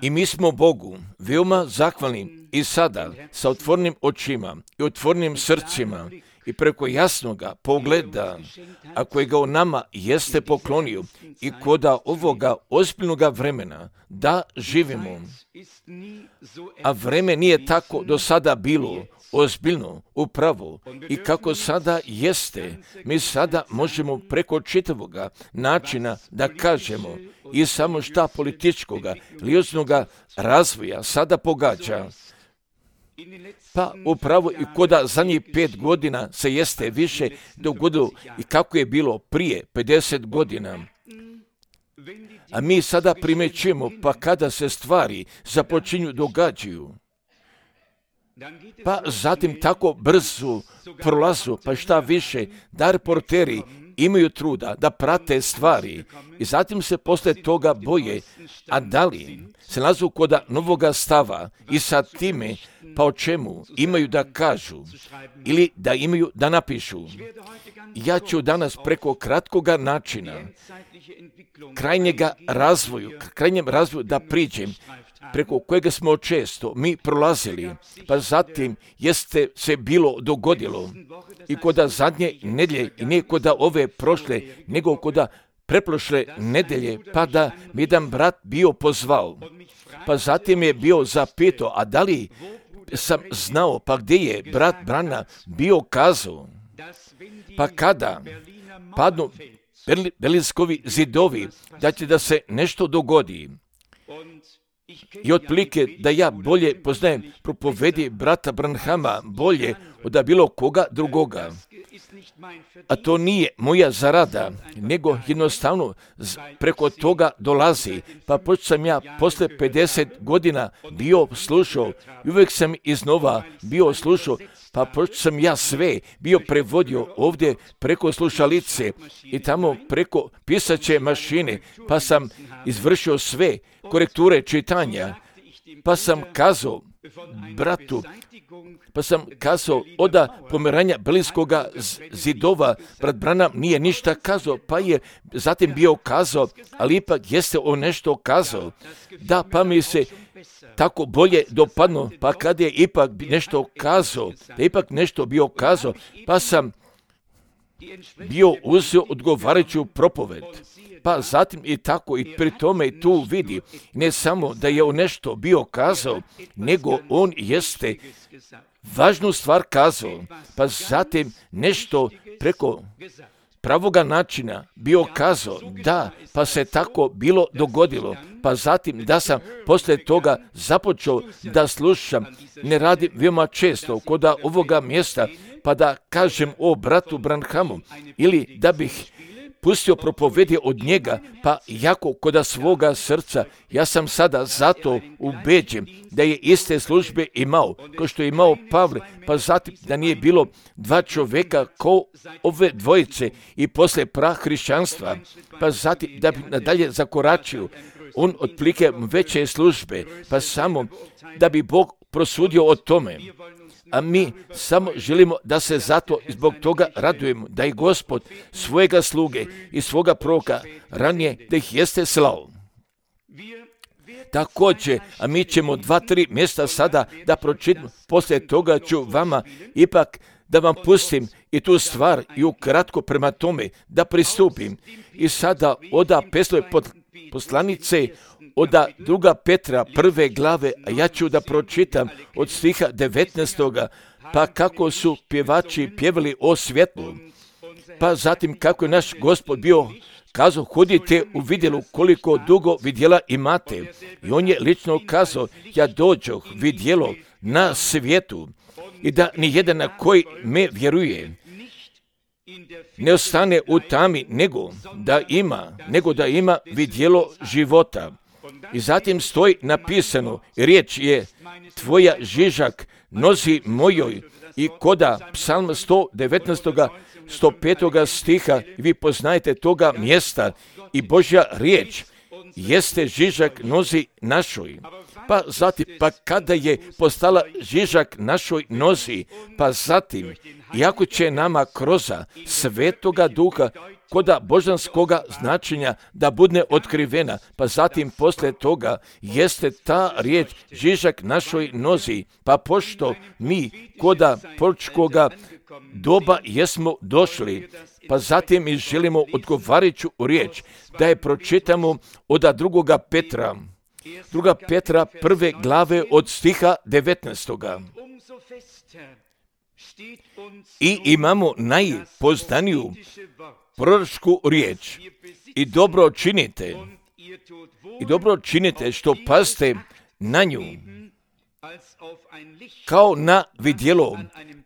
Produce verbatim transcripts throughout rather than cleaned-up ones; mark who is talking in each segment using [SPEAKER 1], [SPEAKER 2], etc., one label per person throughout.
[SPEAKER 1] I mi smo Bogu veoma zahvalni i sada sa otvorenim očima i otvorenim srcima i preko jasnoga pogleda, a kojega on nama jeste poklonio i koda ovoga ozbiljnoga vremena da živimo. A vreme nije tako do sada bilo ozbiljno, upravo, i kako sada jeste, mi sada možemo preko čitavoga načina da kažemo i samo šta političkoga, lioznoga razvoja sada pogađa. Pa upravo i koda zadnjih pet godina se jeste više dogodilo i kako je bilo prije pedeset godina. A mi sada primećujemo, pa kada se stvari započinju događaju, pa zatim tako brzo prolazu, pa šta više, da reporteri imaju truda da prate stvari i zatim se posle toga boje, a da li se nalazu kod novoga stava i sa time, pa o čemu imaju da kažu ili da imaju da napišu. Ja ću danas preko kratkoga načina krajnjega razvoju, krajnjem razvoju da priđem, preko kojega smo često mi prolazili, pa zatim jeste se bilo dogodilo i koda zadnje nedelje i ne koda ove prošle, nego koda preprošle nedelje, pa da mi jedan brat bio pozvao, pa zatim je bio zapitao, a da li sam znao, pa gdje je brat Brana bio kazao, pa kada padnu Berlinskovi zidovi, da će da se nešto dogodi. I otprilike da ja bolje poznajem propovedi brata Branhama bolje od bilo koga drugoga. A to nije moja zarada, nego jednostavno preko toga dolazi. Pa pošto sam ja posle pedeset godina bio slušao i uvijek sam iznova bio slušao, pa pošto sam ja sve bio prevodio ovdje preko slušalice i tamo preko pisaće mašine, pa sam izvršio sve korekture čitanja, pa sam kazao bratu, pa sam kazao oda pomeranja Berlinskoga zidova, brat Branham nije ništa kazao, pa je zatim bio kazao, ali ipak jeste on nešto kazao. Da, pa mi se tako bolje dopadno, pa kad je ipak nešto kazao, da ipak nešto bio kazao, pa sam bio uzeo odgovarajuću propoved. Pa zatim i tako i pri tome tu vidi, ne samo da je on nešto bio kazao, nego on jeste važnu stvar kazao, pa zatim nešto preko pravoga načina bio kazao, da, pa se tako bilo dogodilo, pa zatim da sam posle toga započeo da slušam, ne radim veoma često kod ovoga mjesta, pa da kažem o bratu Branhamu, ili da bih pustio propovedi od njega, pa jako koda svoga srca, ja sam sada zato ubeđen da je iste službe imao, kao što je imao Pavle, pa zatim da nije bilo dva čovjeka kao ove dvojice i posle prah hrišćanstva, pa zatim da bi nadalje zakoračio, on otplike veće službe, pa samo da bi Bog prosudio o tome. A mi samo želimo da se zato zbog toga radujemo, da i Gospod svojega sluge i svoga proroka ranije da ih jeste slao. Također, a mi ćemo dva, tri mjesta sada da pročitamo, poslije toga ću vama ipak da vam pustim i tu stvar i ukratko prema tome da pristupim. I sada oda Petrove poslanice, oda druga Petra prve glave, a ja ću da pročitam od stiha devetnaestoga, pa kako su pjevači pjevali o svjetlu, pa zatim kako je naš Gospod bio kazao, hodite u vidjelu koliko dugo vidjela imate. I on je lično kazao, ja dođoh vidjelo na svijetu i da nijedan na koji me vjeruje ne ostane u tami, nego da ima, nego da ima vidjelo života. I zatim stoji napisano, riječ je tvoja žižak nozi mojoj, i koda psalm sto devetnaest. sto pet. stiha, vi poznajete toga mjesta, i Božja riječ jeste žižak nozi našoj. pa zatim, pa kada je postala žižak našoj nozi, pa zatim, iako će nama kroza Svetoga Duha koda božanskoga značenja da bude otkrivena, pa zatim posle toga jeste ta riječ žižak našoj nozi, pa pošto mi koda proročkoga doba jesmo došli, pa zatim mi želimo odgovarajuću riječ da je pročitamo od drugoga Petra, druga Petra prve glave od stiha devetnaestoga. I imamo najpoznaniju proročku riječ i dobro činite, i dobro činite što pazite na nju, kao na vidjelo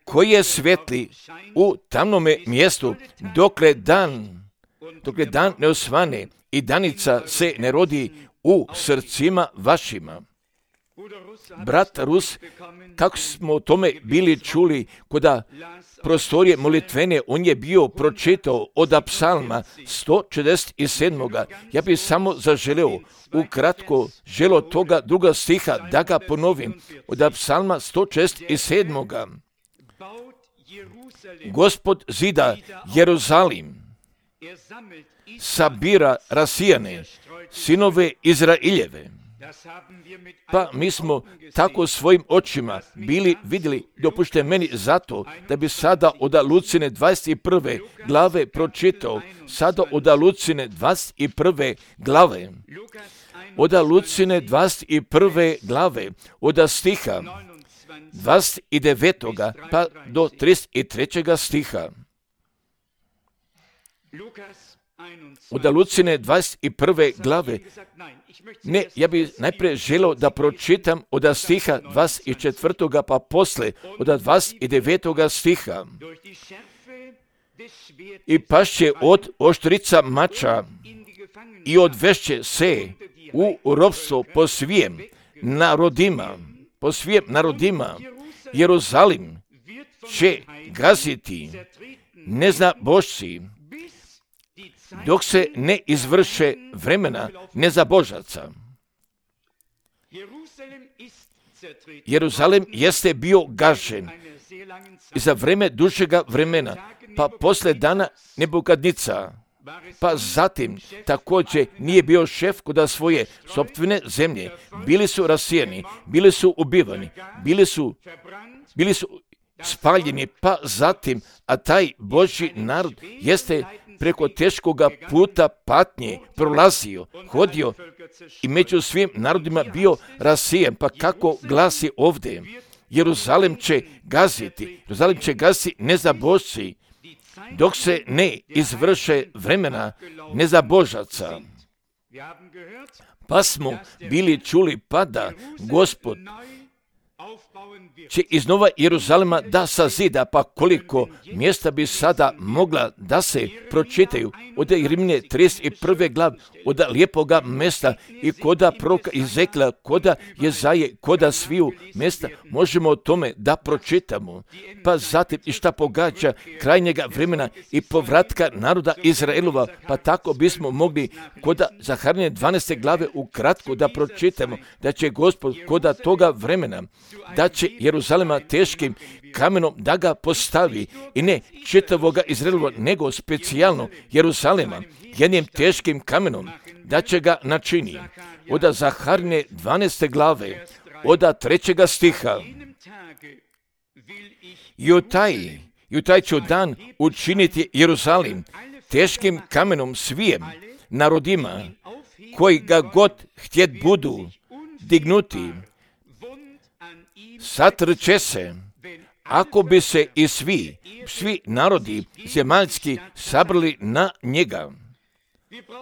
[SPEAKER 1] koje svetli u tamnome mjestu, dokle dan, dokle dan ne osvane i danica se ne rodi u srcima vašima. Brat Rus, kako smo o tome bili čuli koda prostorije molitvene, on je bio pročitao od psalma sto četrdeset sedam. Ja bih samo zaželeo ukratko želo toga druga stiha da ga ponovim od psalma sto četrdeset sedam. Gospod zida Jeruzalim, sabira rasijane, sinove Izraeljeve. Pa mi smo tako svojim očima bili vidjeli, dopušte meni zato da bi sada od Lucine dvadeset prve glave pročitao, sada od Lucine dvadeset prve glave, od Lucine dvadeset prve glave, od stiha dvadeset devetog pa do trideset trećeg stiha. Od Lucine dvadeset prve glave. Ne, ja bih najprije želeo da pročitam od stiha dvadeset četvrtog pa posle od dvadeset devetog stiha. I pašće od oštrica mača i odvešće se u ropstvo po svijem narodima, po svijem narodima. Jeruzalim će gaziti nezabožci, dok se ne izvrše vremena nezabožaca. Jeruzalem jeste bio gažen i za vreme dužega vremena, pa posle dana Nebukadnica, pa zatim također nije bio šef kod svoje sopstvene zemlje. Bili su rasijeni, bili su ubivani, bili su, bili su spaljeni, pa zatim, a taj Božji narod jeste preko teškoga puta patnje prolazio, hodio i među svim narodima bio rasijen. Pa kako glasi ovdje? Jeruzalem će gaziti, Jeruzalem će gaziti nezabožci, dok se ne izvrše vremena nezabožaca. Pa smo bili čuli pa da Gospod će iznova Jeruzalema da sazida, pa koliko mjesta bi sada mogla da se pročitaju od Rimlje trideset prve glave, od lijepoga mjesta i koda proroka Ezekla, koda Jezaje, koda sviju mjesta, možemo o tome da pročitamo. Pa zatim i šta pogađa krajnjega vremena i povratka naroda Izraelova, pa tako bismo mogli koda Zaharije dvanaeste glave ukratko da pročitamo da će Gospod koda toga vremena, da će Jeruzalema teškim kamenom da ga postavi i ne čitavoga Izraelova, nego specijalno Jeruzalema jednim teškim kamenom da će ga načini. Od Zaharije dvanaeste glave, od trećega stiha. I u taj, i u taj ću dan učiniti Jeruzalim teškim kamenom svijem narodima koji ga god htjet budu dignuti. Satrče se, ako bi se i svi, svi narodi zemaljski sabrali na njega.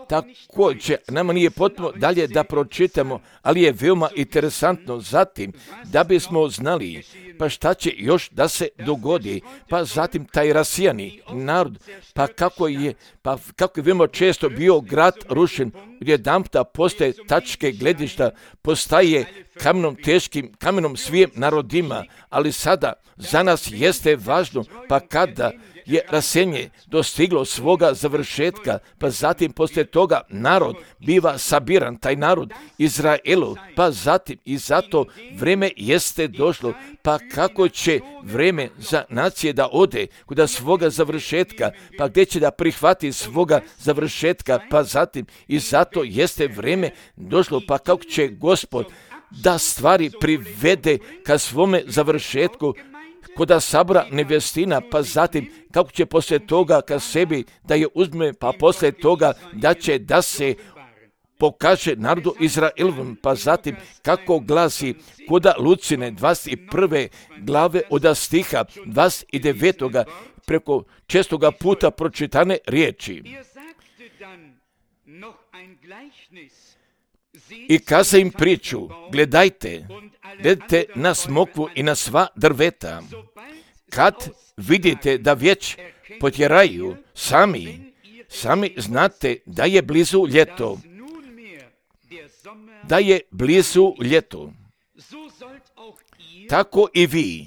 [SPEAKER 1] Također, nama nije potrebno dalje da pročitamo, ali je veoma interesantno zatim da bismo znali pa šta će još da se dogodi, pa zatim taj rasijani narod, pa kako je, pa kako je veoma često bio grad rušen, odjedanputa postaje tačke gledišta, postaje kamenom teškim, kamenom svijem narodima, ali sada za nas jeste važno, pa kada je raseljenje dostiglo svoga završetka, pa zatim poslije toga narod biva sabiran, taj narod Izraelu, pa zatim i zato vrijeme jeste došlo, pa kako će vrijeme za nacije da ode kod svoga završetka, pa gdje će da prihvati svoga završetka, pa zatim i zato jeste vrijeme došlo, pa kako će Gospod da stvari privede ka svome završetku kod sabora nevjestina, pa zatim kako će poslije toga ka sebi da je uzme, pa poslije toga da će da se pokaže narodu Izraelovom, pa zatim kako glasi kod Lucine dvadeset prve glave od stiha dvadeset devetog preko čestoga puta pročitane riječi. I kaza im priču, gledajte, gledajte na smokvu i na sva drveta. Kad vidite da već potjeraju sami, sami znate da je blizu ljeto, da je blizu ljeto. Tako i vi,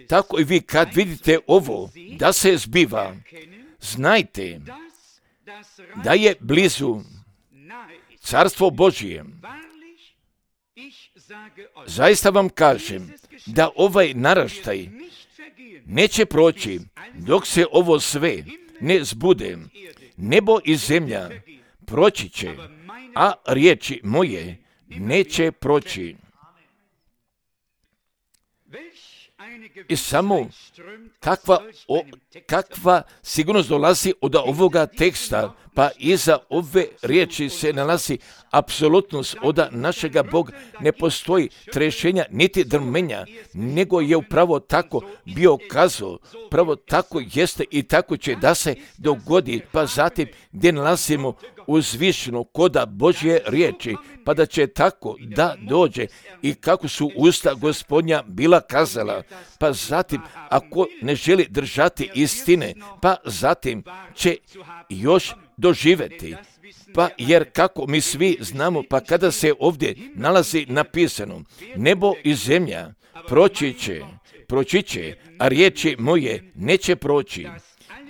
[SPEAKER 1] tako i vi kad vidite ovo da se zbiva, znajte da je blizu Carstvo Božije. Zaista vam kažem da ovaj naraštaj neće proći dok se ovo sve ne zbude. Nebo i zemlja proći će, a riječi moje neće proći. I samo kakva, o, kakva sigurnost dolazi od ovoga teksta, pa iza ove riječi se nalazi apsolutnost od našega Boga. Ne postoji trešenja niti drmenja, nego je upravo tako bio kazao, pravo tako jeste i tako će da se dogodi, pa zatim gdje nalazimo uzvišeno koda Božje riječi, pa da će tako da dođe i kako su usta Gospodnja bila kazala, pa zatim ako ne želi držati istine, pa zatim će još doživjeti. Pa jer kako mi svi znamo, pa kada se ovdje nalazi napisano, nebo i zemlja proći će, proći će, a riječi moje neće proći.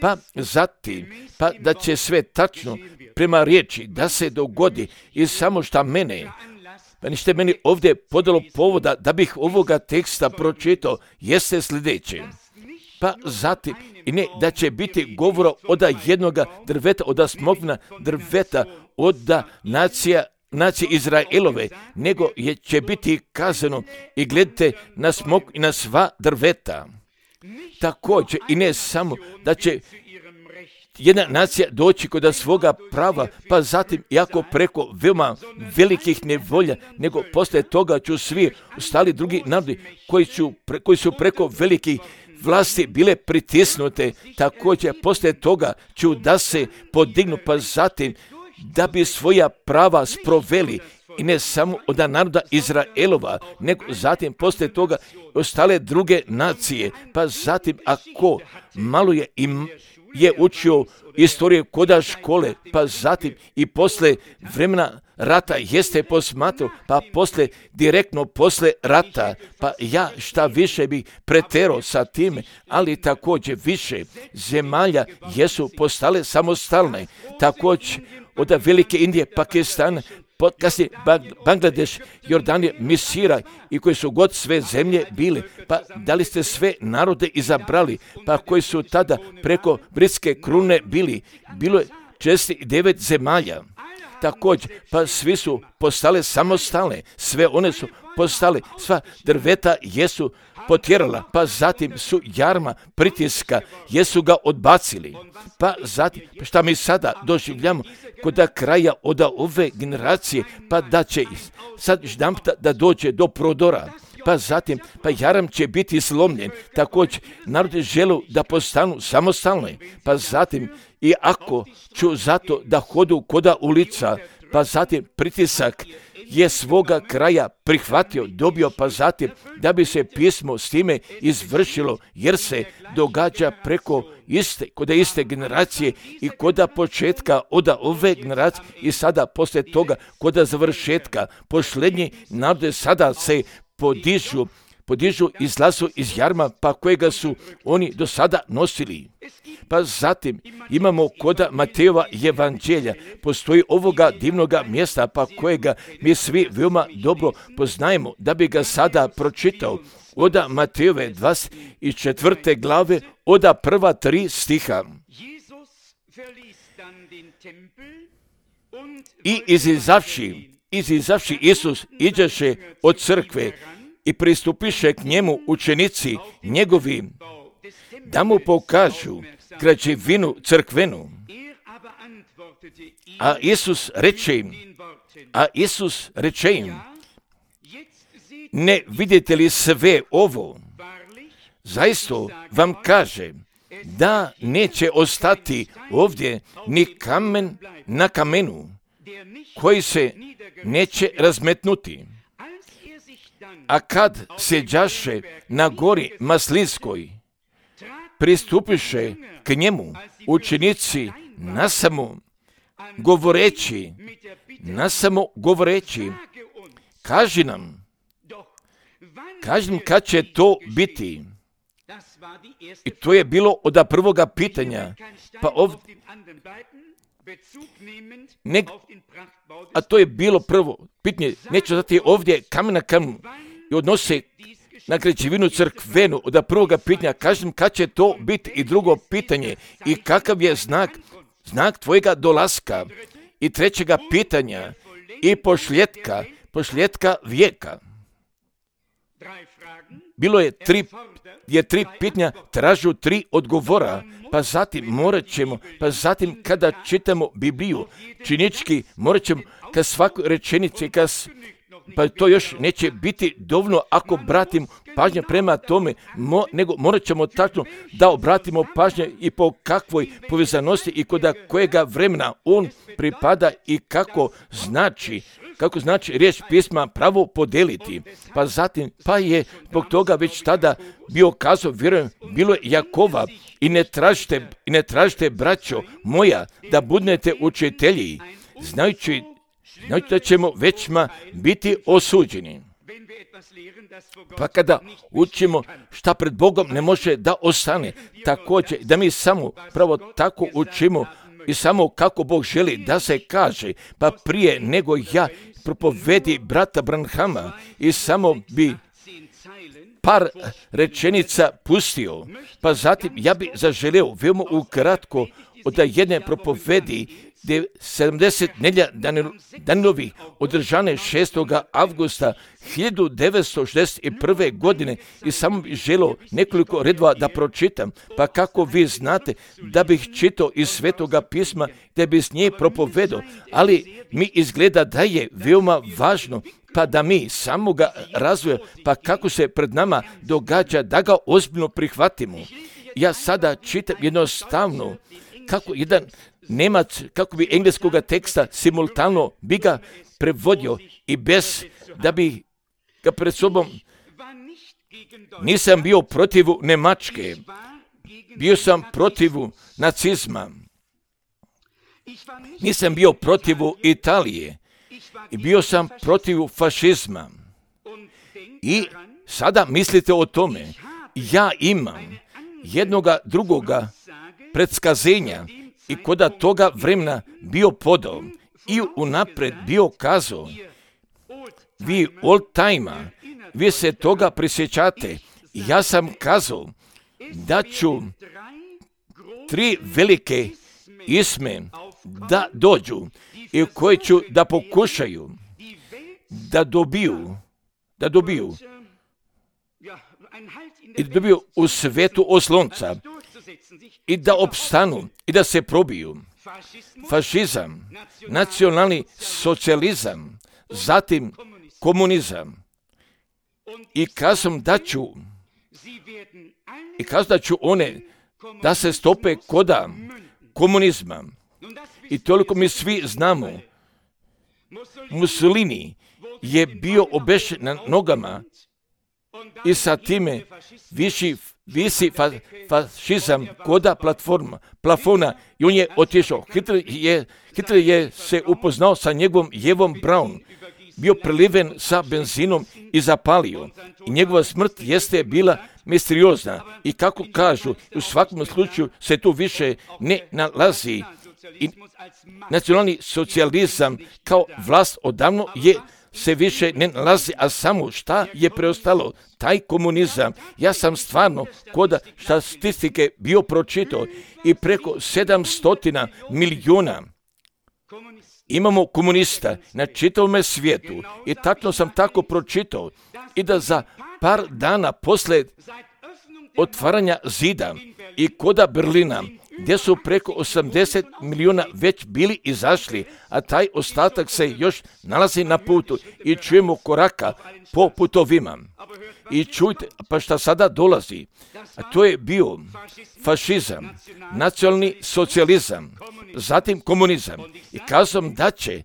[SPEAKER 1] Pa zatim, pa da će sve tačno prema riječi da se dogodi i samo šta mene, pa nište meni ovdje podalo povoda da bih ovoga teksta pročitao, jeste sljedeće. Pa zatim, i ne da će biti govora od jednoga drveta, od smokvina drveta, od nacija, nacije Izraelove, nego je, će biti kazano i gledajte na smok i na sva drveta. Također, i ne samo da će jedna nacija doći kod svoga prava, pa zatim, iako preko veoma velikih nevolja, nego poslije toga ću svi ostali drugi narodi koji su, pre, koji su preko velikih vlasti bile pritisnute, također poslije toga ću da se podignu, pa zatim da bi svoja prava sproveli i ne samo od naroda Izraelova, nego zatim poslije toga ostale druge nacije, pa zatim ako malo je im je učio istoriju koda škole, pa zatim i posle vremena rata jeste posmatrao, pa posle, direktno posle rata, pa ja šta više bih preterao sa time, ali također više zemalja jesu postale samostalne, također od Velike Indije, Pakistana, kasnije Bangladeš, Jordanije, Misira i koji su god sve zemlje bile, pa da li ste sve narode izabrali, pa koji su tada preko britske krune bili, bilo je šezdeset devet zemalja. Također, pa svi su postale samostalne, sve one su postale, sva drveta jesu potjerala, pa zatim su jarma pritiska, jesu ga odbacili. Pa zatim, pa šta mi sada doživljamo kod kraja od ove generacije, pa da će sad ždamta da dođe do prodora. Pa zatim, pa jaram će biti slomljen, također narodi žele da postanu samostalni, pa zatim i ako ću zato da hodu koda ulica, pa zatim pritisak je svoga kraja prihvatio, dobio, pa zatim da bi se pismo s time izvršilo, jer se događa preko iste, kod iste generacije i kod početka od ove generacije i sada poslije toga kod završetka. Posljednji narode sada se podižu podižu, izlazu iz jarma, pa kojega su oni do sada nosili. Pa zatim imamo koda Matejova evanđelja, postoji ovoga divnoga mjesta, pa kojega mi svi veoma dobro poznajemo, da bi ga sada pročitao. Oda Matejove dvadeset četvrte glave, oda prva tri stiha. I izizavši, izizavši Isus iđeše od crkve i pristupiše k njemu učenici njegovi, da mu pokažu građevinu crkvenu. A Isus reče im, a Isus reče im, ne vidite li sve ovo? Zaista vam kažem, da neće ostati ovdje ni kamen na kamenu, koji se neće razmetnuti. A kad seđaše na gori Maslinskoj, pristupiše k njemu učenici nasamo govoreći, nasamo govoreći, kaži nam, kaži nam kad će to biti. I to je bilo od prvoga pitanja, pa ovdje, ne, a to je bilo prvo pitanje, neće dati ovdje kamen na kamen i odnose na građevinu crkvenu. Od prvoga pitanja, kažem kad će to biti. I drugo pitanje, i kakav je znak, znak tvojega dolaska. I trećega pitanja, i pošljetka, pošljetka vijeka. Bilo je tri, je tri pitanja, tražu tri odgovora, pa zatim morat ćemo, pa zatim kada čitamo Bibliju, činički morat ćemo kad svakoj rečenici, kad, pa to još neće biti dovoljno ako obratimo pažnje prema tome, mo, nego morat ćemo tačno da obratimo pažnje i po kakvoj povezanosti i kod kojega vremena on pripada i kako znači, kako znači riječ pisma pravo podeliti. Pa zatim, pa je zbog toga već tada bio kazao, vjerujem, bilo je Jakova, i ne tražite, i ne tražite, braćo moja, da budete učitelji, znajući, znajući da ćemo većma biti osuđeni. Pa kada učimo šta pred Bogom ne može da ostane, također da mi samo pravo tako učimo i samo kako Bog želi da se kaže, pa prije nego ja propovedi brata Branhama i samo bi par rečenica pustio, pa zatim ja bi zaželio veoma ukratko od jedne propovedi sedamdeset nedjelja Danilovih održane šestog avgusta hiljadu devetsto šezdeset prve. godine i samo bih želio nekoliko redova da pročitam, pa kako vi znate da bih čitao iz Svetoga pisma da bi s nje propovedao, ali mi izgleda da je veoma važno pa da mi samoga razvoja, pa kako se pred nama događa da ga ozbiljno prihvatimo. Ja sada čitam jednostavno kako jedan Nemac, kako bi engleskoga teksta simultano bi ga prevodio i bez da bi ga pred sobom, nisam bio protiv Njemačke, bio sam protiv nacizma, nisam bio protiv Italije i bio sam protiv fašizma. I sada mislite o tome, ja imam jednoga drugoga predskazenja i koda toga vremena bio podao i unapred bio kazao, vi old time, vi se toga prisjećate. Ja sam kazao da ću tri velike isme da dođu i koje ću da pokušaju da dobiju, da dobiju i da dobiju u svetu oslonca i da opstanu i da se probiju. Fašizam, nacionalni socijalizam, zatim komunizam. I kazam da ću, i kazam da ću one da se stope koda komunizma. I toliko mi svi znamo, Mussolini je bio obešen na nogama i sa time viši, visi fa, fašizam koda platforma, plafona i on je otišao. Hitler je, Hitler je se upoznao sa njegovom Jevom Braun bio preliven sa benzinom i zapalio. I njegova smrt jeste bila misteriozna. I kako kažu, u svakom slučaju se tu više ne nalazi. I nacionalni socijalizam kao vlast odavno je se više ne nalazi, a samo šta je preostalo? Taj komunizam. Ja sam stvarno kod statistike bio pročitao i preko sedamsto milijuna imamo komunista na čitavom svijetu. I tačno sam tako pročitao i da za par dana posle otvaranja zida i koda Berlina, gdje su preko osamdeset milijuna već bili izašli, a taj ostatak se još nalazi na putu i čujemo koraka po putovima. I čujte, pa šta sada dolazi? A to je bio fašizam, nacionalni socijalizam, zatim komunizam. I kazam da će,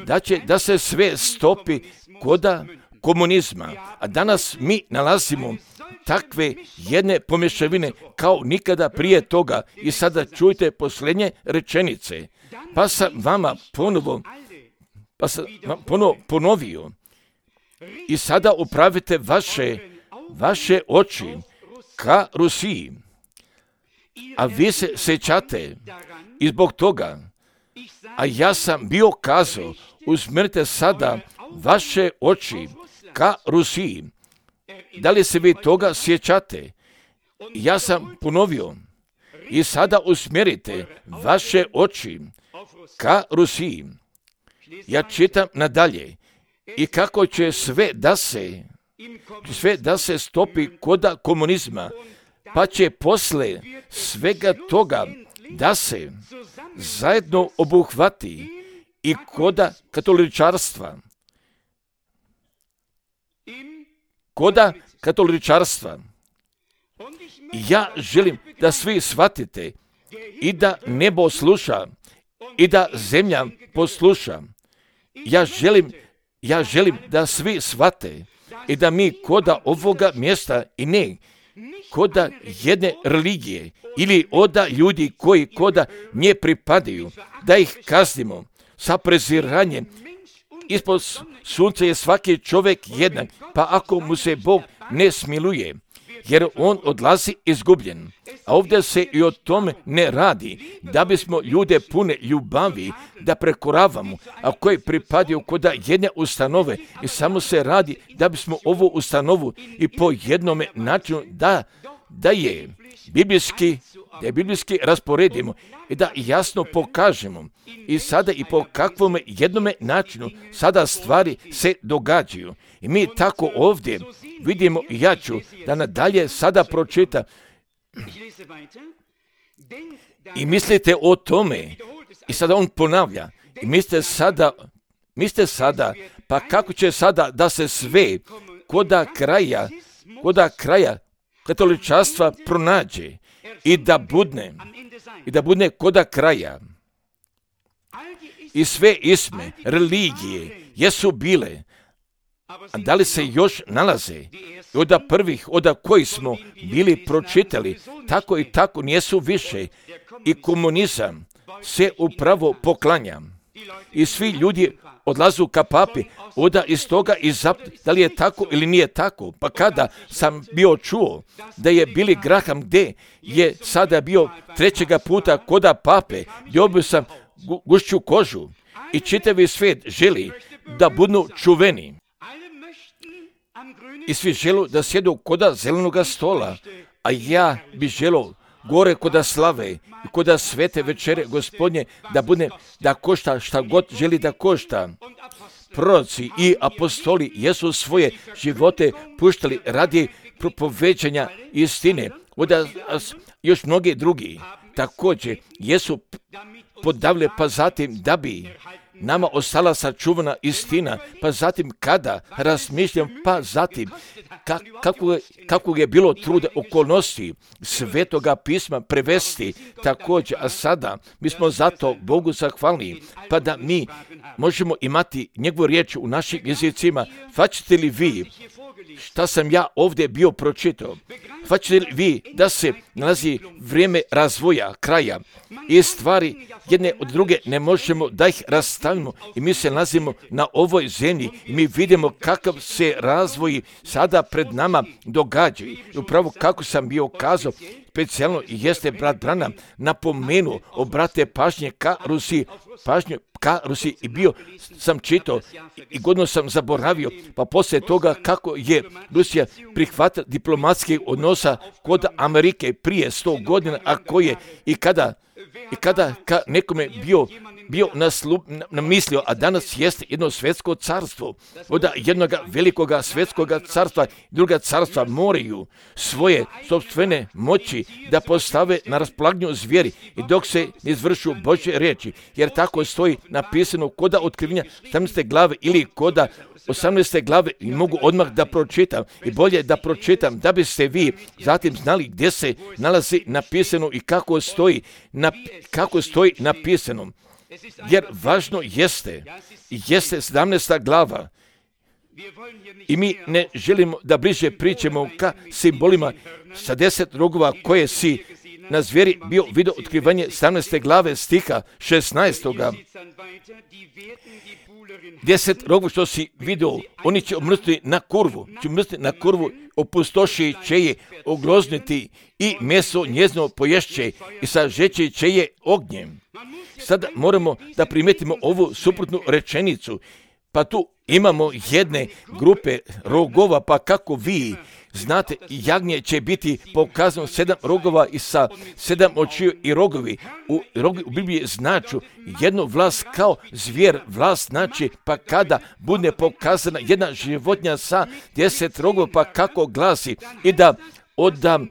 [SPEAKER 1] da će da se sve stopi koda komunizma. A danas mi nalazimo takve jedne pomješavine kao nikada prije toga. I sada čujte posljednje rečenice. Pa sam vama ponovo, pa sam vam ponovo ponovio. I sada upravite vaše, vaše oči ka Rusiji. A vi se sjećate i zbog toga, a ja sam bio kazao, usmjerite sada vaše oči ka Rusiji. Da li se vi toga sjećate? Ja sam ponovio. I sada usmjerite vaše oči ka Rusiji. Ja čitam nadalje. I kako će sve da se, sve da se stopi koda komunizma, pa će posle svega toga da se zajedno obuhvati i koda katoličarstva. Koda katoličarstva. Ja želim da svi shvatite i da nebo sluša i da zemlja posluša. Ja želim, ja želim da svi shvate i da mi koda ovoga mjesta i ne koda jedne religije ili oda ljudi koji koda nje pripadaju, da ih kaznimo sa preziranjem. Ispod sunca je svaki čovjek jednak, pa ako mu se Bog ne smiluje, jer on odlazi izgubljen. A ovdje se i o tome ne radi, da bismo ljude pune ljubavi da prekoravamo, a koji pripadaju koda jedne ustanove, i samo se radi da bismo ovu ustanovu i po jednome načinu da, da je biblijski, da je biblijski rasporedimo i da jasno pokažemo i sada i po kakvom jednome načinu sada stvari se događaju. I mi tako ovdje vidimo, i ja ću da nadalje sada pročitam. I mislite o tome, i sada on ponavlja, i mislite sada, mislite sada, pa kako će sada da se sve koda kraja, koda kraja katoličarstva pronađe i da budne, i da budne koda kraja. I sve isme, religije, jesu bile, a da li se još nalaze? I od prvih, od kojih smo bili pročitali, tako i tako nijesu više. I komunizam se upravo poklanja. I svi ljudi odlazu ka papi, oda iz toga i zap, da li je tako ili nije tako. Pa kada sam bio čuo da je Billy Graham gdje je sada bio trećega puta koda pape, dobio sam gu, gušću kožu i čitavi svijet želi da budu čuveni. I svi želu da sjedu koda zelenoga stola, a ja bi želo gore koda slave i koda svete večere Gospodnje da bude, da košta šta god želi da košta. Proroci i apostoli jesu svoje živote puštali radi propoveđanja istine. Oda još mnogi drugi također jesu podavlje, pa zatim da bi nama ostala sačuvana istina, pa zatim kada razmišljam, pa zatim ka, kako, kako je bilo truda okolnosti Svetoga pisma prevesti također, a sada mi smo zato Bogu zahvalni, pa da mi možemo imati njegovu riječ u našim jezicima. Faćete li vi šta sam ja ovdje bio pročitao. Shvaćate li vi da se nalazi vrijeme razvoja, kraja i stvari jedne od druge ne možemo da ih rastavimo i mi se nalazimo na ovoj zemlji i mi vidimo kakav se razvoj sada pred nama događa. I upravo kako sam bio kazao, specijalno jeste brat Branham napomenuo, obrate pažnje ka Rusiji, pažnju ka Rusiji i bio sam čitao i godinu sam zaboravio, pa poslije toga kako je Rusija prihvatila diplomatskih odnosa kod Amerike prije sto godina, a koje i kada i kada ka nekome bio bio naslu, namislio, a danas jeste jedno svjetsko carstvo. Od jednog velikog svjetskog carstva, druga carstva moraju svoje sopstvene moći da postave na raspolaganju zvijeri i dok se ne izvršu Božje riječi, jer tako stoji napisano koda otkrivenja sedamnaeste glave ili koda osamnaeste glave i mogu odmah da pročitam i bolje da pročitam da biste vi zatim znali gdje se nalazi napisano i kako stoji, nap, kako stoji napisano. Jer važno jeste, jeste sedamnaesta glava i mi ne želimo da bliže pričamo ka simbolima sa deset rogova koje si na zvijeri bio vidio otkrivanje sedamnaeste glave stiha šesnaestoga. Deset rogova što si vidio, oni će omrstiti na kurvu, će omrstiti na kurvu, opustoši će je oglozniti i meso njezino poješće i sažeće će je ognjem. Sada moramo da primetimo ovu suprotnu rečenicu, pa tu imamo jedne grupe rogova, pa kako vi znate, jagnje će biti pokazano sedam rogova i sa sedam očiju i rogovi. U, rogi u Bibliji značu jednu vlast kao zvijer, vlast znači pa kada bude pokazana jedna životinja sa deset rogova, pa kako glasi i da odam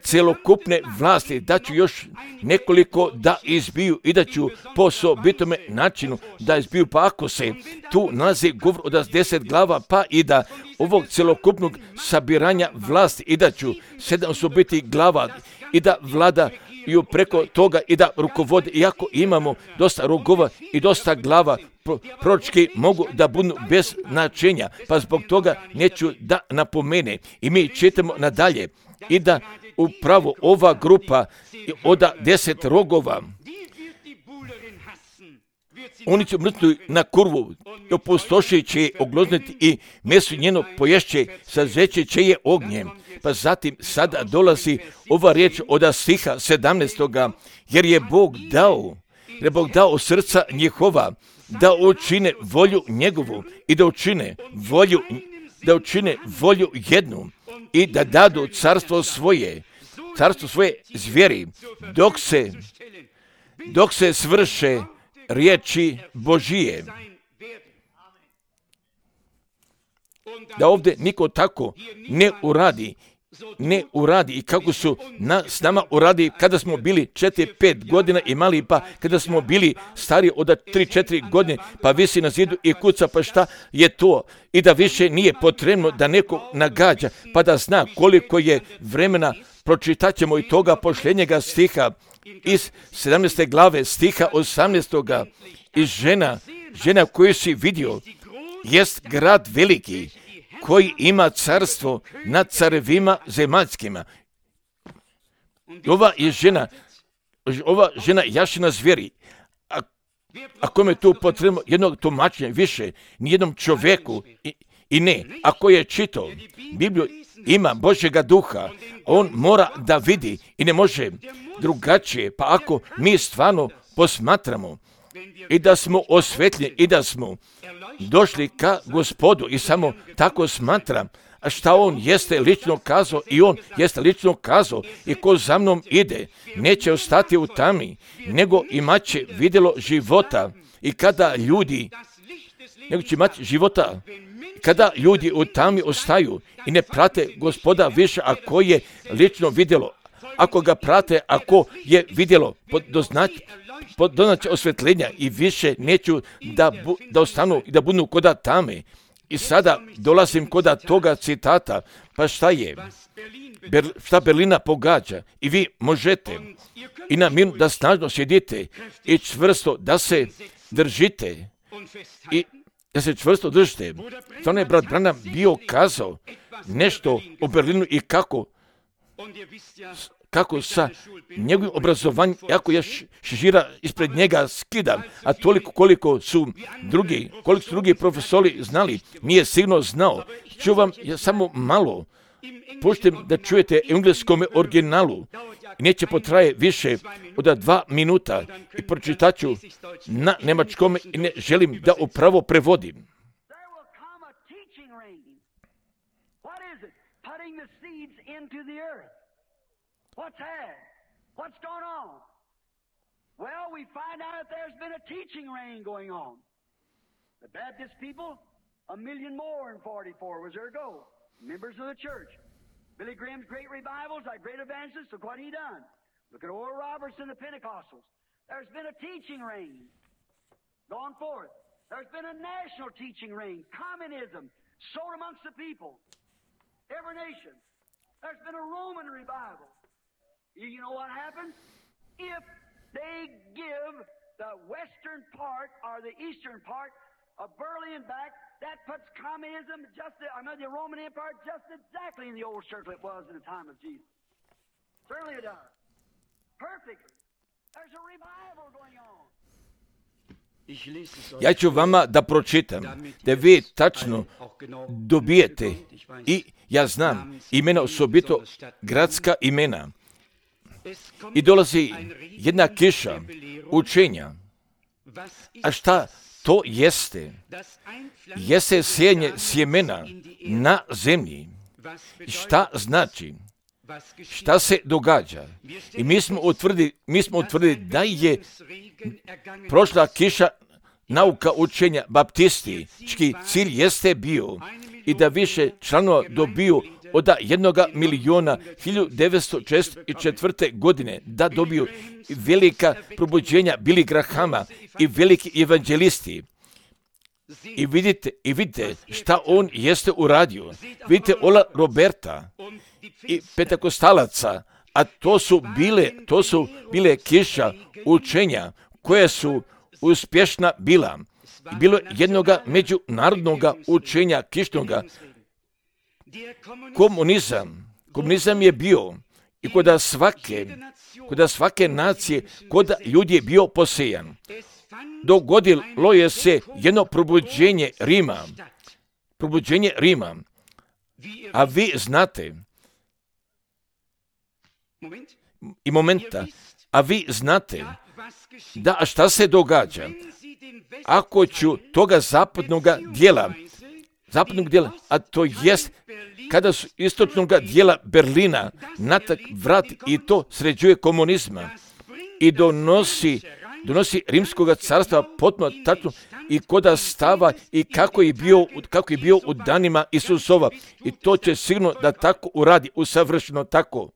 [SPEAKER 1] celokupne vlasti, da ću još nekoliko da izbiju i da ću po osobitome načinu da izbiju, pa ako se tu nalazi govor od deset glava, pa i da ovog celokupnog sabiranja vlasti i da ću sedam osobitih glava i da vlada i preko toga i da rukovode, iako imamo dosta rogova i dosta glava, proročki mogu da budu bez značenja, pa zbog toga neću da napomene. I mi čitamo nadalje i da upravo ova grupa od deset rogova, oni će mrtnuti na kurvu, opustošit će je oglozniti i meso njeno poješće, sažeće će je ognjem. Pa zatim sada dolazi ova riječ od stiha sedamnaestoga, jer je Bog dao, jer je Bog dao srca njihova, da učine volju njegovu i da učine volju, da učine volju jednu i da dadu carstvo svoje, carstvo svoje zvijeri, dok se, dok se svrše riječi Božije. Da ovdje niko tako ne uradi, ne uradi i kako su na, s nama uradi kada smo bili četiri pet godina imali, pa kada smo bili stari od tri četiri godine, pa visi na zidu i kuca, pa šta je to? I da više nije potrebno da neko nagađa, pa da zna koliko je vremena. Pročitat ćemo i toga posljednjega stiha iz sedamnaeste glave stiha osamnaestoga. I žena, žena koju si vidio, jest grad veliki, koji ima carstvo nad carevima zemaljskima. Ova je žena, ova žena jašina zvijeri, a, a kome tu potrebno jednog tumačenja više, nijednom čovjeku i, i ne, ako je čitao Bibliju, ima Božjega duha, on mora da vidi i ne može drugačije, pa ako mi stvarno posmatramo i da smo osvetljeni i da smo došli ka Gospodu i samo tako smatram, a šta on jeste lično kazao i on jeste lično kazao i ko za mnom ide neće ostati u tami, nego imaće vidjelo života. I kada ljudi, nego će imati života, kada ljudi u tami ostaju i ne prate Gospoda više, ako je lično vidjelo, ako ga prate, ako je vidjelo, doznaći doznaće osvetljenja i više neću da, bu, da ostanu i da budu koda tame. I sada dolazim koda toga citata, pa šta je? Ber, šta Berlina pogađa? I vi možete i na miru da snažno sjedite i čvrsto da se držite i da se čvrsto držite. Stvarno je brat Branham bio kazao nešto o Berlinu i kako, kako sa njegovim obrazovanjem, jako je šešira ispred njega skida, a toliko koliko su drugi, koliko su drugi profesori znali, nije sigurno znao. Ću vam ja samo malo, puštem da čujete u engleskom originalu, i neće potraje više od dva minuta i pročitaću na nemačkom i ne želim da upravo prevodim.
[SPEAKER 2] What's that? What's going on? Well, we find out that there's been a teaching reign going on. The Baptist people, a million more in forty-four was their goal. Members of the church. Billy Graham's great revivals, like great evangelists, look what he done. Look at Oral Roberts and the Pentecostals. There's been a teaching reign going forth. There's been a national teaching reign. Communism sown amongst the people. Every nation. There's been a Roman revival. You know what happens? If they give the western part or the eastern part of Berlin back, that puts communism just, I mean, the Roman Empire just exactly in the old circle it was in the time of Jesus. Certainly it does. Perfectly. There's a revival going on.
[SPEAKER 1] Ja ću vama da pročitam, da vi tačno dobijete, i ja znam imena, osobito gradska imena. I dolazi jedna kiša učenja. A šta to jeste? Jeste sijanje sjemena na zemlji. Šta znači? Šta se događa? I mi smo utvrdili, mi smo utvrdili da je prošla kiša nauka učenja baptistički cilj jeste bio i da više članova dobiju od jednoga miliona hiljadu devetsto šezdeset četvrte. godine da dobiju velika probuđenja Billy Grahama i veliki evanđelisti. I vidite, i vidite šta on jeste uradio. Vidite Ola Roberta i Pentekostalaca, a to su bile, to su bile kiša učenja koje su uspješna bila. I bilo jednoga međunarodnoga učenja kišnoga. Komunizam, komunizam je bio i kod svake, kod svake nacije, kod ljudi je bio posejan. Dogodilo je se jedno probuđenje Rima, probuđenje Rima, a vi znate, i momenta, a vi znate, da šta se događa, ako ću toga zapadnog dijela, zapadnog dijela, a to jest kada su istočnog dijela Berlina natak vrat i to sređuje komunizma i donosi, donosi rimskog carstva potpuno tačno i koda stava i kako je bio, kako je bio u danima Isusova. I to će sigurno da tako uradi, usavršeno tako.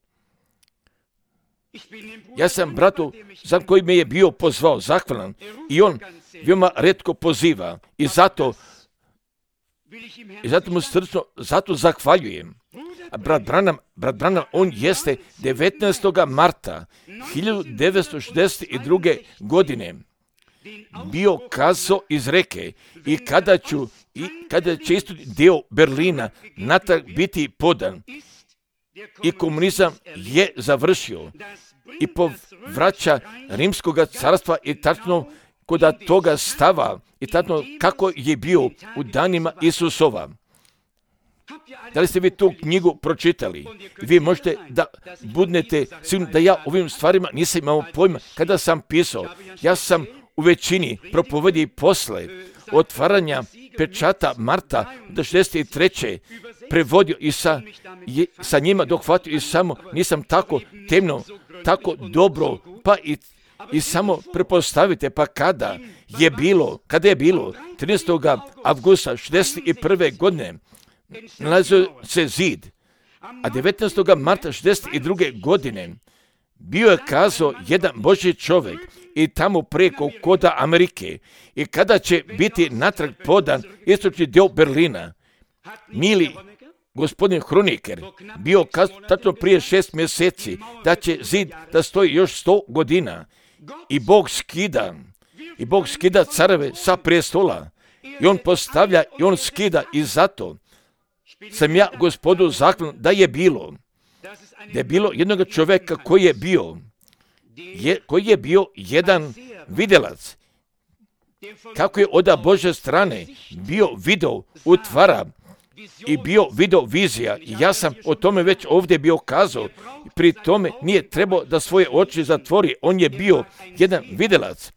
[SPEAKER 1] Ja sam bratu za koji me je bio pozvao, zahvalan, i on veoma retko poziva i zato i zato mu srčno, zato zahvaljujem. A brat Branham, brat Branham, on jeste devetnaestog marta hiljadu devetsto šezdeset druge. godine bio kazao iz reke i kada ću i kada će isto dio Berlina natrag biti podan i komunizam je završio i povraća rimskog carstva i tačno kod toga stava i tačno kako je bio u danima Isusova. Da li ste vi tu knjigu pročitali? Vi možete da budnete sigurno da ja ovim stvarima nisam imao pojma kada sam pisao. Ja sam u većini propovediji posle otvaranja pečata marta do šezdeset treće prevodio i sa, je, sa njima dohvatio i samo nisam tako temno, tako dobro, pa i, i samo prepostavite, pa kada je bilo, kada je bilo trinaestog avgusta šezdeset prve. godine nalazio se zid, a devetnaestog marta šezdeset druge. godine bio je kazao jedan Božji čovjek i tamo preko koda Amerike i kada će biti natrag podan istočni dio Berlina. Mili gospodin Hroniker bio kazao tačno prije šest mjeseci da će zid da stoji još sto godina i Bog skida i Bog skida careve sa prestola i on postavlja i on skida i zato sam ja Gospodu zaklan da je bilo, da je bilo jednog čovjeka koji je bio, je, koji je bio jedan vidjelac, kako je od Božje strane bio video utvara i bio video vizija. I ja sam o tome već ovdje bio kazao. Pri tome nije trebao da svoje oči zatvori. On je bio jedan vidjelac.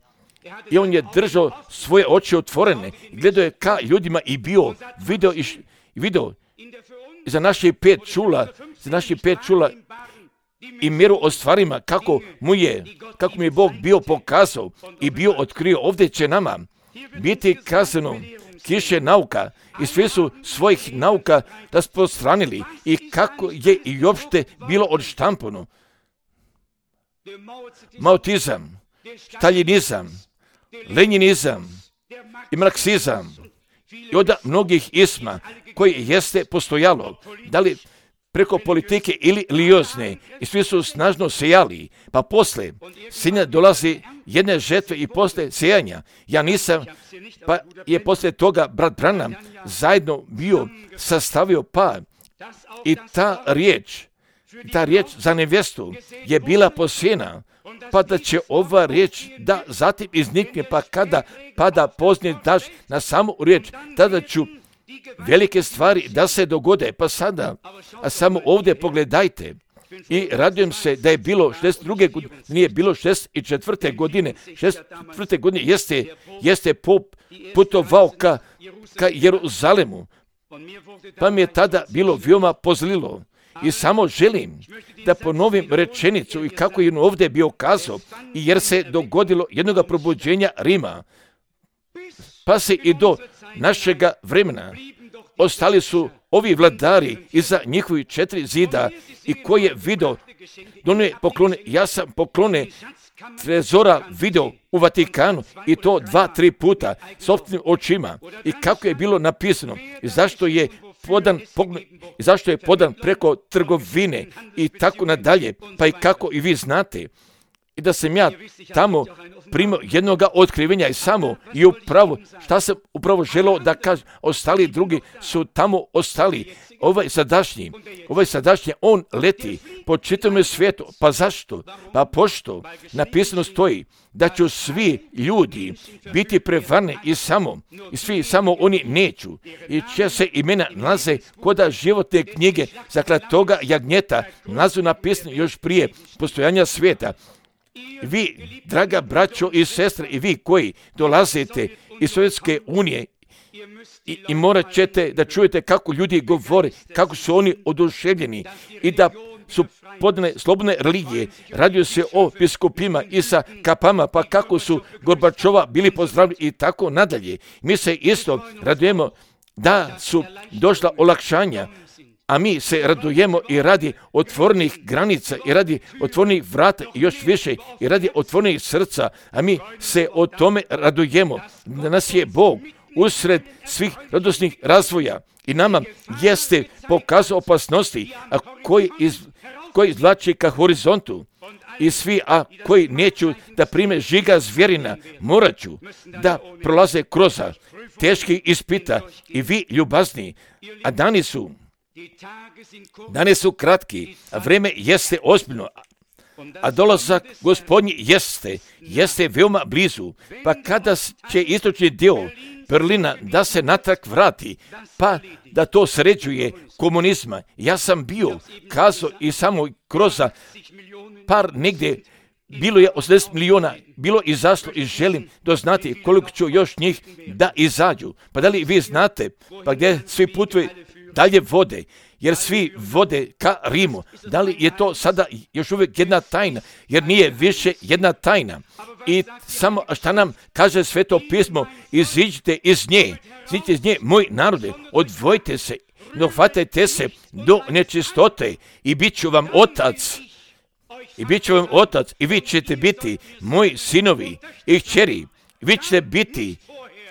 [SPEAKER 1] I on je držao svoje oči otvorene. Gledao je ka ljudima i bio video i video za naših pet čula, za naših pet čula i mjeru o stvarima kako mu je, kako mu je Bog bio pokazao i bio otkrio. Ovdje će nama biti kazano kiše nauka i svi su svojih nauka raspostranili i kako je i uopšte bilo odštampano. Maotizam, staljinizam, lenjinizam i marksizam i od mnogih isma koji jeste postojalo, da li preko politike ili religiozne, i svi su snažno sejali, pa posle sinja dolazi jedne žetve i posle sejanja. Ja nisam, pa je posle toga brat Branham zajedno bio sastavio pa i ta riječ, ta riječ za nevjestu je bila posijena, pa da će ova riječ da zatim iznikne, pa kada pada pozni daž na samu riječ, tada ću velike stvari da se dogode. Pa sada, a samo ovdje pogledajte, i radujem se da je bilo šezdeset druge godine, nije bilo šezdeset četvrte godine, šezdeset četvrte godine jeste, jeste pop putovao ka, ka Jeruzalemu, pa mi je tada bilo veoma pozlilo. I samo želim da ponovim rečenicu i kako je on ovdje bio kazao, i jer se dogodilo jednog probuđenja Rima, pa se i do našega vremena ostali su ovi vladari iza njihovih četiri zida i koji je video, donio poklone, ja sam poklone trezora video u Vatikanu i to dva, tri puta sopstvenim očima i kako je bilo napisano i zašto je podan, i zašto je podan preko trgovine i tako nadalje, pa i kako i vi znate. I da sam ja tamo primio jednoga otkrivenja i samo i upravo, šta sam upravo želeo da kažem, ostali drugi su tamo ostali. Ovaj sadašnji, ovaj sadašnji, on leti po čitavom svijetu. Pa zašto? Pa pošto napisano stoji da će svi ljudi biti prevarni i samo, i svi samo oni neću. I će se imena nalaze koda životne knjige zaklatoga jagnjeta, nalazu napisano još prije postojanja svijeta. Vi, draga braćo i sestre, i vi koji dolazite iz Sovjetske unije, i, i morat ćete da čujete kako ljudi govore, kako su oni oduševljeni i da su podane slobodne religije. Radio se o biskupima i sa kapama, pa kako su Gorbačova bili pozdravljeni i tako nadalje. Mi se isto radujemo da su došla olakšanja, a mi se radujemo i radi otvorenih granica i radi otvorenih vrata i još više i radi otvorenih srca, a mi se o tome radujemo. Da nas je Bog usred svih radosnih razvoja i nama jeste pokazao opasnosti, a koji, iz, koji izvlači ka horizontu i svi, a koji neću da prime žiga zvjerina, morat ću da prolaze kroz teški ispita i vi ljubazni, a dani su Dani su kratki, a vreme jeste ozbiljno, a dolazak Gospodnji jeste, jeste veoma blizu, pa kada će istočni dio Berlina da se natrag vrati, pa da to sređuje komunizma. Ja sam bio kazao i samo kroz par negdje, bilo je osamdeset milijuna, bilo izašlo i želim doznati koliko ću još njih da izađu. Pa da li vi znate, pa gdje svi putuju dalje vode, jer svi vode ka Rimu. Da li je to sada još uvijek jedna tajna, jer nije više jedna tajna. I samo šta nam kaže Sveto pismo, iziđite iz nje, iziđite iz nje, moj narode, odvojite se, dohvatajte se do nečistote i bit ću vam otac. I bit ću vam otac i vi ćete biti moji sinovi i kćeri. Vi ćete biti,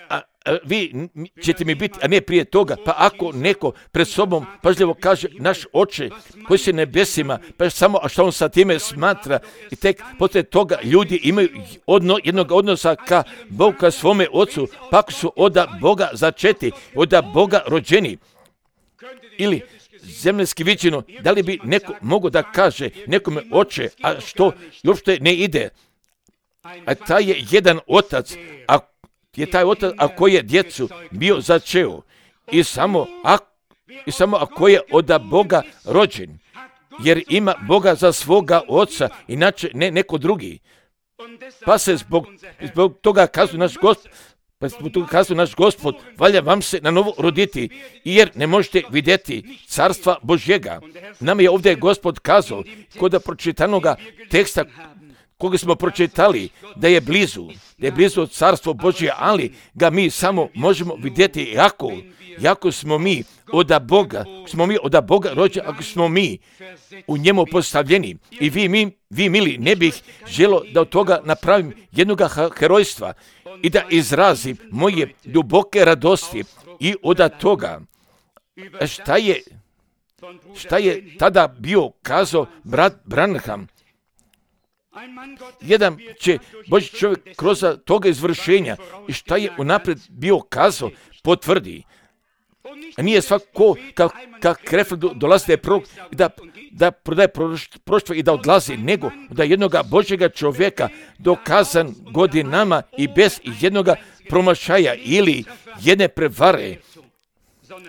[SPEAKER 1] a, vi ćete mi biti, a ne prije toga. Pa ako neko pred sobom pažljivo kaže naš Oče koji se nebesima, pa samo a što on sa time smatra, i tek poslije toga ljudi imaju odno, jednog odnosa ka Bogu, ka svome Ocu, pa ako su od Boga začeti, od Boga rođeni, ili zemljski viđeno, da li bi neko mogo da kaže nekome Oče, a što uopšte ne ide? A taj je jedan otac, a je taj otac ako je djecu bio začeo i samo, a, i samo ako je od Boga rođen, jer ima Boga za svoga oca, inače ne neko drugi. Pa se zbog, zbog toga kazuje naš Gospod, pa zbog toga kazuje naš Gospod, valja vam se na novo roditi, jer ne možete vidjeti carstva Božjega. Nama je ovdje Gospod kazao, kod pročitanoga teksta koga smo pročitali, da je blizu, da je blizu carstvo Božje, ali ga mi samo možemo vidjeti jako, jako smo mi od Boga, smo mi od Boga rođeni, ako smo mi u njemu postavljeni. I vi, mi, vi mili, ne bih želo da od toga napravim jednoga herojstva i da izrazim moje duboke radosti i od toga šta je, šta je tada bio kazao brat Branham. Jedan će Božji čovjek kroz toga izvršenja i šta je unaprijed bio kazao potvrdi. A nije svako kao ka Krefeld dolazi da je prorok i da, da prodaje proštvo i da odlazi, nego da jednoga Božjega čovjeka dokazan godinama i bez jednoga promašaja ili jedne prevare,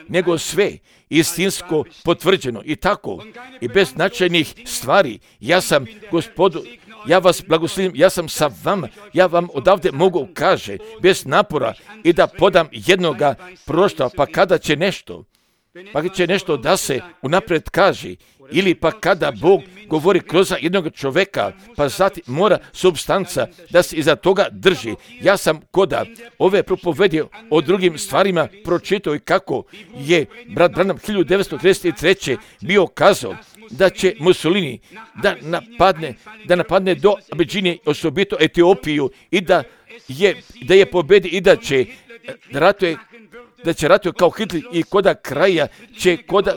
[SPEAKER 1] nego sve istinsko potvrđeno i tako i bez značajnih stvari. Ja sam, Gospodu, ja vas blagoslovim, ja sam sa vama, ja vam odavde mogu kaže, bez napora i da podam jednoga proštva, pa kada će nešto, pa će nešto da se unaprijed kaže, ili pa kada Bog govori kroz jednog čovjeka, pa zatim mora substanca da se iza toga drži. Ja sam koda ove propovedio o drugim stvarima pročitao i kako je brat Branham hiljadu devetsto trideset treće bio kazao da će Mussolini da napadne, da napadne do Abidžine, osobito Etiopiju, i da je, da je pobedi i da će ratuje da će ratuje kao Hitler i koda kraja će koda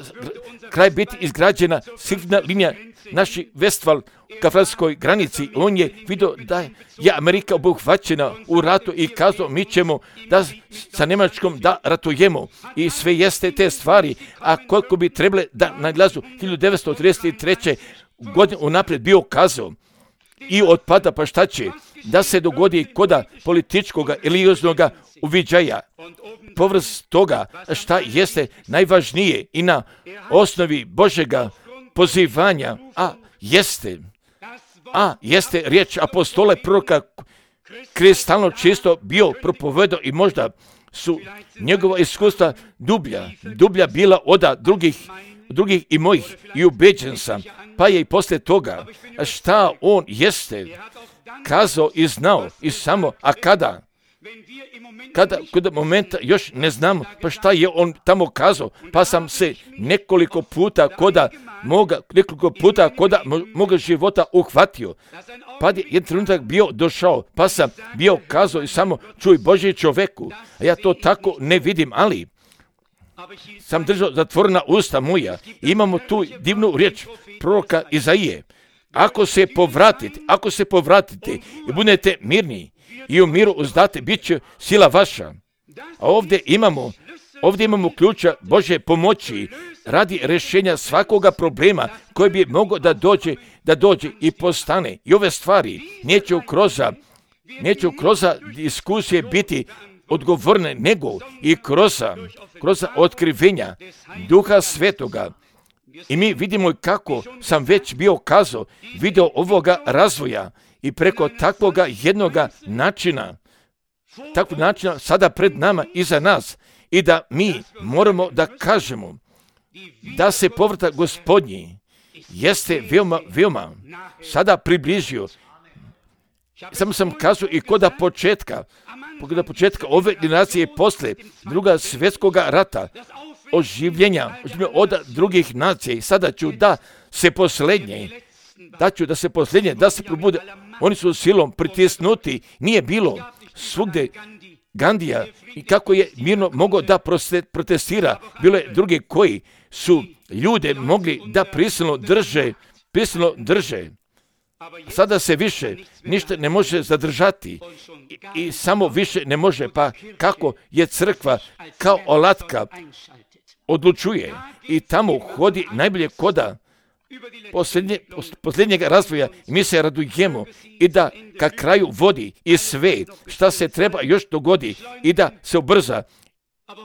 [SPEAKER 1] kraj biti izgrađena sigurna linija naši Vestval ka francuskoj granici. On je vidio da je Amerika obuhvaćena u ratu i kazao mi ćemo da sa Njemačkom da ratujemo i sve jeste te stvari, a koliko bi trebale da naglazu hiljadu devetsto trideset treće godine unaprijed bio kazao i otpada, pa šta će da se dogodi koda političkog religioznog uviđaja. Povrst toga šta jeste najvažnije i na osnovi Božjega pozivanja, a jeste, a jeste riječ apostola proroka kristalno čisto bio propovedao i možda su njegova iskustva dublja, dublja bila od drugih, drugih i mojih i ubeđen sam, pa je i poslije toga šta on jeste kazao i znao i samo, a kada? Kada, kada momenta još ne znamo, pa šta je on tamo kazao, pa sam se nekoliko puta koda moga, nekoliko puta koda moga života uhvatio, pa je jedan trenutak bio došao, pa sam bio kazao i samo čuj Božji čoveku, a ja to tako ne vidim, ali sam držao zatvorena usta moja. Imamo tu divnu riječ proroka Izaije. Ako se povratite, ako se povratite i budete mirni i u miru uzdate, bit će sila vaša. A ovdje imamo, ovdje imamo ključa Božje pomoći radi rješenja svakoga problema koji bi mogao da dođe, da dođe i postane. I ove stvari neće kroz, neće kroz diskusije biti odgovorne, nego i kroz, kroz otkrivenja Duha Svetoga. I mi vidimo kako sam već bio kazao, video ovoga razvoja i preko takvoga jednoga načina, takvog načina sada pred nama i za nas, i da mi moramo da kažemo da se povratak Gospodnji jeste veoma, veoma sada približio. Samo sam kazao i koda početka, koda početka ove generacije posle druga svjetskoga rata, oživljenja, oživljenja od drugih nacija, i sada ću da se posljednje, da ću da se posljednje, da se probude. Oni su silom pritisnuti, nije bilo svugdje Gandija i kako je mirno mogao da protestira. Bilo je drugi koji su ljude mogli da prisilno drže, prisilno drže. Sada se više ništa ne može zadržati i, i samo više ne može, pa kako je crkva kao olatka odlučuje i tamo hodi najbolje koda posljednje, posljednjeg razvoja i mi se radujemo i da ka kraju vodi i sve šta se treba još dogodi i da se ubrza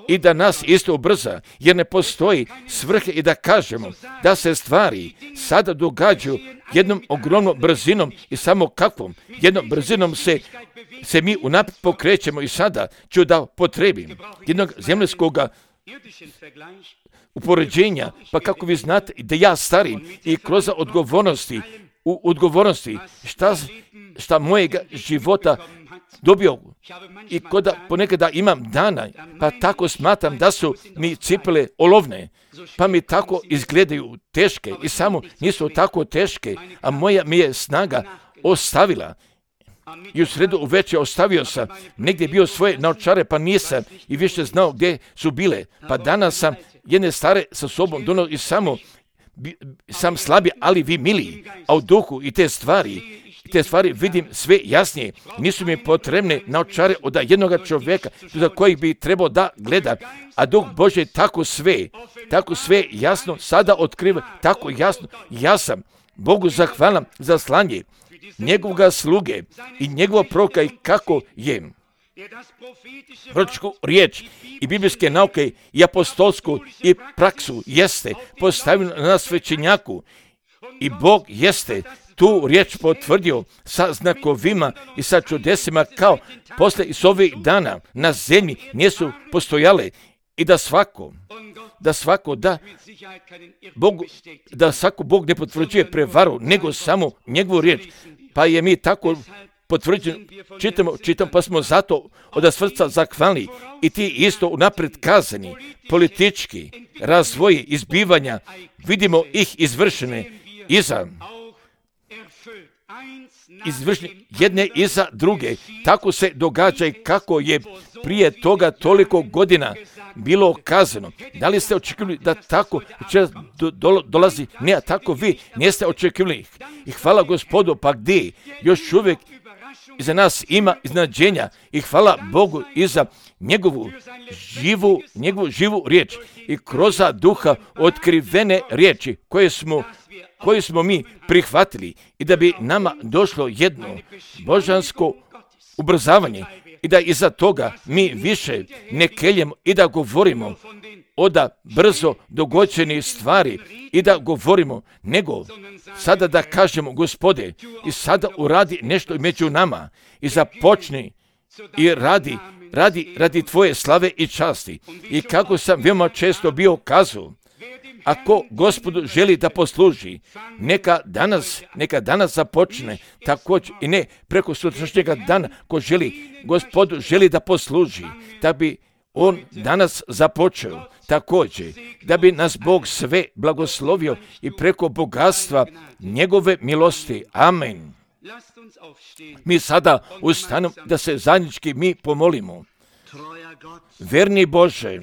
[SPEAKER 1] i da nas isto ubrza, jer ne postoji svrhe i da kažemo da se stvari sada događaju jednom ogromnom brzinom i samo kakvom jednom brzinom se, se mi unaprijed pokrećemo i sada ću da potrebim jednog zemljskog upoređenja, pa kako vi znate da ja starim i kroz odgovornosti, u odgovornosti šta, šta mojega života dobio i koda ponekada imam dana, pa tako smatram da su mi cipele olovne, pa mi tako izgledaju teške i samo nisu tako teške, a moja mi je snaga ostavila. I u sredu uveče ostavio sam, negdje bio svoje naočare, pa nisam i više znao gdje su bile. Pa danas sam jedne stare sa sobom donio i samo sam slabiji, ali vi miliji, a u duhu i te stvari, te stvari vidim sve jasnije. Nisu mi potrebne naočare od jednoga čovjeka za kojih bi trebao da gleda, a Duh Božji tako sve, tako sve jasno sada otkriva, tako jasno. Ja sam Bogu zahvalan za slanje njegovoga sluge i njegova proroka i kako je proročku riječ i biblijske nauke i apostolsku i praksu jeste postavio na svećenjaku i Bog jeste tu riječ potvrdio sa znakovima i sa čudesima kao posle iz ovih dana na zemlji nisu postojale i da svako da svako da Bog, da svako Bog ne potvrđuje prevaru, nego samo njegovu riječ. Pa je mi tako potvrđeno, čitamo, čitamo, pa smo zato od srca zahvalni i ti isto unaprijed kazani, politički razvoji izbivanja, vidimo ih izvršene iza, izvršene jedne iza druge. Tako se događa i kako je prije toga toliko godina bilo kazano. Da li ste očekivali da tako do, do, dolazi? Ne, tako vi niste očekivali. I hvala Gospodu, pa gdje još uvijek iza nas ima iznenađenja i hvala Bogu i za njegovu živu, njegovu živu riječ i kroz duha otkrivene riječi koje smo, koje smo mi prihvatili i da bi nama došlo jedno božansko ubrzavanje i da iza toga mi više ne keljemo i da govorimo o da brzo dogođenih stvari i da govorimo, nego sada da kažemo Gospode i sada uradi nešto među nama i započni i radi, radi, radi tvoje slave i časti. I kako sam veoma često bio kazao, ako Gospodu želi da posluži, neka danas, neka danas započne također i ne preko sutrašnjega dana, ko želi, Gospodu želi da posluži, da bi on danas započeo također, da bi nas Bog sve blagoslovio i preko bogatstva njegove milosti. Amen. Mi sada ustanemo da se zajednički mi pomolimo. Verni Bože,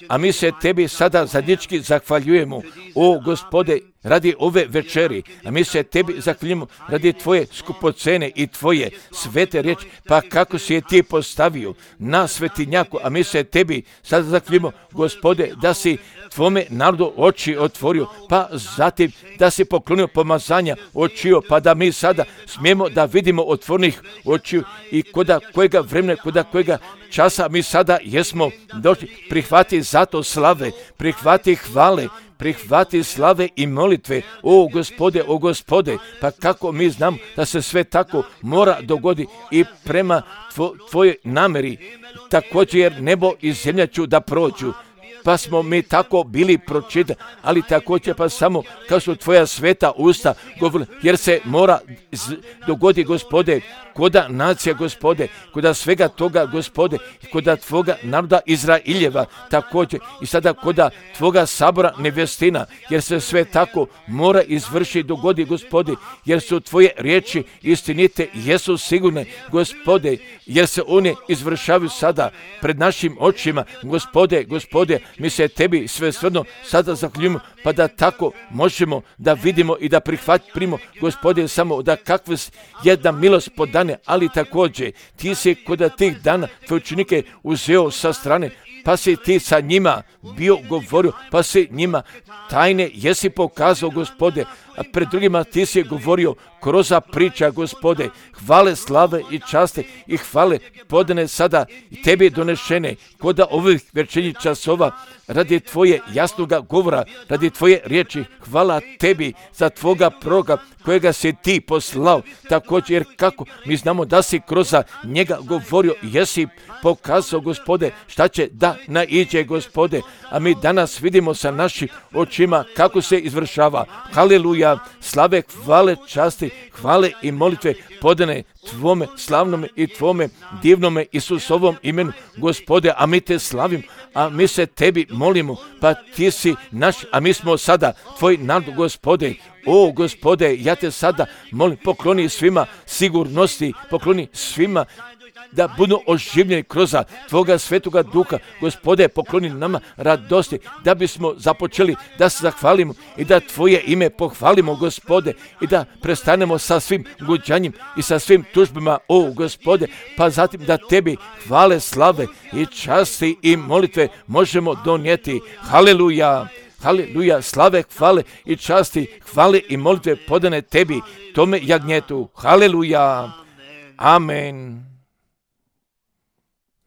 [SPEAKER 1] a mi se tebi sada zajednički zahvaljujemo, o Gospode, radi ove večeri, a mi se tebi zahvaljujemo radi tvoje skupocene i tvoje svete riječi, pa kako si je ti postavio na svetinjaku, a mi se tebi sada zahvaljujemo, Gospode, da si tvome narodu oči otvorio, pa zatim da si poklonio pomazanja očiju, pa da mi sada smijemo da vidimo otvornih očiju i koda kojega vremena, koda kojega časa mi sada jesmo došli. Prihvati zato slave, prihvati hvale, prihvati slave i molitve, o Gospode, o Gospode, pa kako mi znam da se sve tako mora dogodi i prema tvo, tvojoj nameri, također jer nebo i zemlja ću da prođu, pa smo mi tako bili pročitani, ali također pa samo kao su tvoja sveta usta govorili, jer se mora dogodi, Gospode, koda nacija, Gospode, koda svega toga, Gospode, koda tvoga naroda Izraeljeva također i sada koda tvoga sabora nevjestina, jer se sve tako mora izvršiti, dogodi, Gospode, jer su tvoje riječi istinite, jesu sigurne, Gospode, jer se one izvršavaju sada pred našim očima, Gospode, Gospode, mi se tebi sve svrno sada zahvaljujemo, pa da tako možemo da vidimo i da prihvatimo, Gospode, samo da kakva jedna milost podane, ali također ti si kod tih dana tvoje učenike uzeo sa strane, pa si ti sa njima bio govorio, pa si njima tajne jesi pokazao, Gospode, a pred drugima ti si govorio kroz priča, Gospode, hvale, slave i časte i hvale podane sada tebi donešene kod ovih večernjih časova radi tvoje jasnoga govora, radi tvoje riječi. Hvala tebi za tvoga proroka kojega si ti poslao, također jer kako mi znamo da si kroz njega govorio, jesi pokazao, Gospode, šta će da naiđe, Gospode, a mi danas vidimo sa našim očima kako se izvršava. Haleluja, slave, hvale, časti, hvale i molitve podane tvome slavnome i tvome divnome Isusovom imenu, Gospode, a mi te slavim, a mi se tebi molimo, pa ti si naš, a mi smo sada tvoj narod, Gospode. O, Gospode, ja te sada molim, pokloni svima sigurnosti, pokloni svima da budu oživljeni kroz tvoga svetoga duha, Gospode, pokloni nama radosti, da bismo započeli da se zahvalimo i da tvoje ime pohvalimo, Gospode, i da prestanemo sa svim guđanjem i sa svim tužbama, o, Gospode, pa zatim da tebi hvale, slave i časti i molitve možemo donijeti. Haleluja! Haleluja, slave, hvale i časti, hvale i molitve podane tebi, tome jagnjetu. Haleluja, amen.